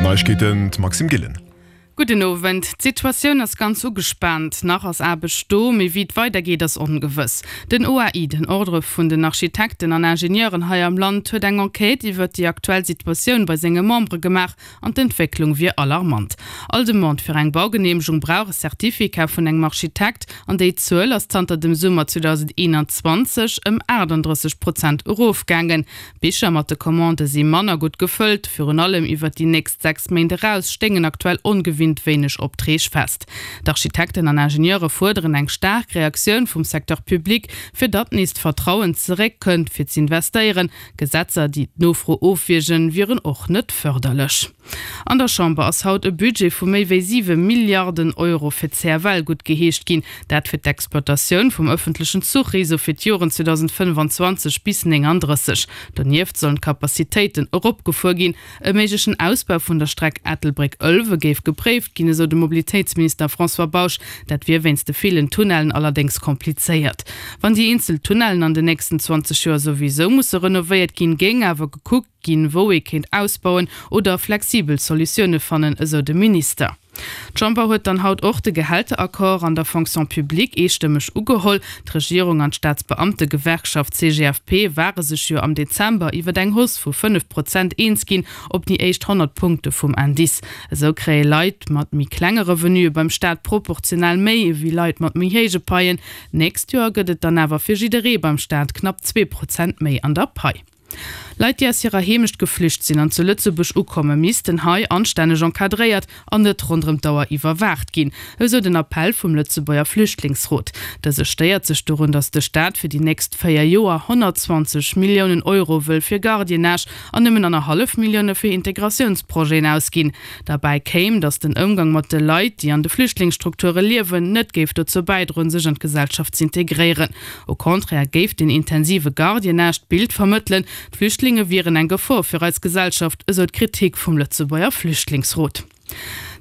D'Neiegkeeten, d'Maxime Gillen. Gudden Owend. D'Situatioun ass ganz ugespaant. Nach ass Aarbecht do, mee wéi et weidergeet ass ongewëss. Den OAI, den Ordre vun den Architekten an Ingenieuren hei am Land, huet eng Enquête iwwert déi aktuell Situatioun bei senge Membere gemaach an d'Entwécklung wier alarmant. All Demande fir eng Baugeneemegung brauch e Certificat vun engem Architekt an déi Zuel ass zanter dem Summer 2021 ëm 38 Prozent erofgaangen. D'Bicher mat de Commandë si manner gutt gefëllt. Virun allem iwwert déi nächst 6 Méint eraus stéingen aktuell ongewinnt wéineg Optreeg fest. D'Architekten an Ingenieure fuerderen eng staark Reaktioun vum Secteur public, fir datt nees d'Vertrauen zeréck kënnt fir z'investéieren. Gesetzer, déi d'Nofro ofwiergen, wieren och net fërderlech. An der Chamber ass haut e Budget vu méi wéi 7 Milliarden Euro fir d'CFL guttgeheescht ginn. Dat fir d'Exploitatioun vum ëffentlechen Zuchreseau fir d'Joren 2025 bis 39. Donieft sollen d'Capacitéiten eropgefuer ginn. E méiglechen Ausbau vun der Streck Ettelbréck-Ëlwe géif gepréift ginn, esou de Mobilitéitsminister François Bausch. Dat wier wéinst de villen Tunnellen allerdéngs komplizéiert. Wann déi eenzel Tunnellen an den nächsten 20 Joer souwisou musse renovéiert ginn, géing awer gekuckt, ginn, wou ee kéint ausbauen oder flexibel Solutioune fannen, esou de Minister. D'Chamber huet dann haut och de Gehälteraccord an der Fonction publique eestëmmeg ugeholl. D'Regierung an d'Staatsbeamtegewerkschaft CGFP ware sech jo am Dezember iwwer eng Hausse vu 5 Prozent eens ginn op déi éischt 100 Punkte vum Indice. Esou kréie Leit mat méi klenge Revenuë beim Staat proportionell méi ewéi Leit mat méi héije Paien. D'nächst Joer gëtt et dann awer fir jidderee beim Staat knapp 2 Prozent méi an der Pai. Leit, déi aus hirer Heemecht geflücht sinn an zu Lëtzebuerg ukommen, missten hei anstänneg encadréiert an net ronderëm d'Auer iwwerwaacht ginn, esou den Appell vum Lëtzebuerger Flüchtlingsrot. Dëse stéiert sech dorun, datt de Staat fir déi nächst 4 Joer 120 Milliounen Euro wëll fir Gardiennage an nëmmen annerhallef Millioune fir Integratiounsprojeten ausginn. Derbäi kéim, datt den Ëmgang mat de Leit, déi an de Flüchtlingsstrukture liewen, net géif dozou bäidroen, sech an d'Gesellschaft z'integréieren. Au contraire géif den intensive Gardiennage d'Bild vermëttelen, d'Flüchtlinge wieren eng Gefor fir eis Gesellschaft, esou d'Kritik vum Lëtzebuerger Flüchtlingsrot.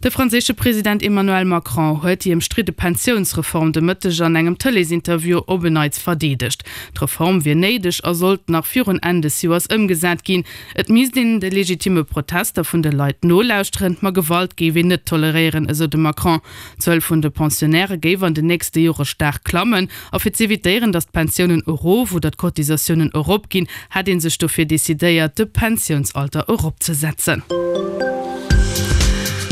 De franséische President Emmanuel Macron huet déi ëmstridde Pensiounsreform de Mëtteg an engem Tëleesinterview op en Neits verdeedegt. D'Reform wier néideg a sollt nach virun Enn des Joers ëmgesat ginn. Et misst een de legitimme Protester vun de Leit nolauschteren, ma Gewalt géif een net toleréieren, esou de Macron. D'Zuel vun de Pensionnairë géif an den nächste Jore staark klammen. A fir z'evitéieren, datt d'Pensiounen erof oder d'Cotisatiounen erop ginn, hätt ee sech dofir decidéiert, de Pensiounsalter eropzesetzen.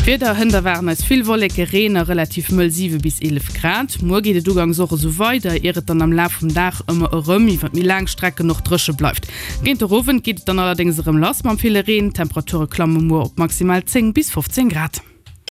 D'Wieder, Hënt erwaarden eis vill Wolleke, Reen a relativ mëll 7 bis 11 Grad. Muer geet et ugangs och esou weider, ier et dann am Laf vum Dag ëmmer erëm iwwer méi laang Strecken och dréche bleift. Géint de Owend geet et dann allerdéngs erëm lass mam ville Reen. D'Temperature klamme muer op maximal 10 bis 15 Grad.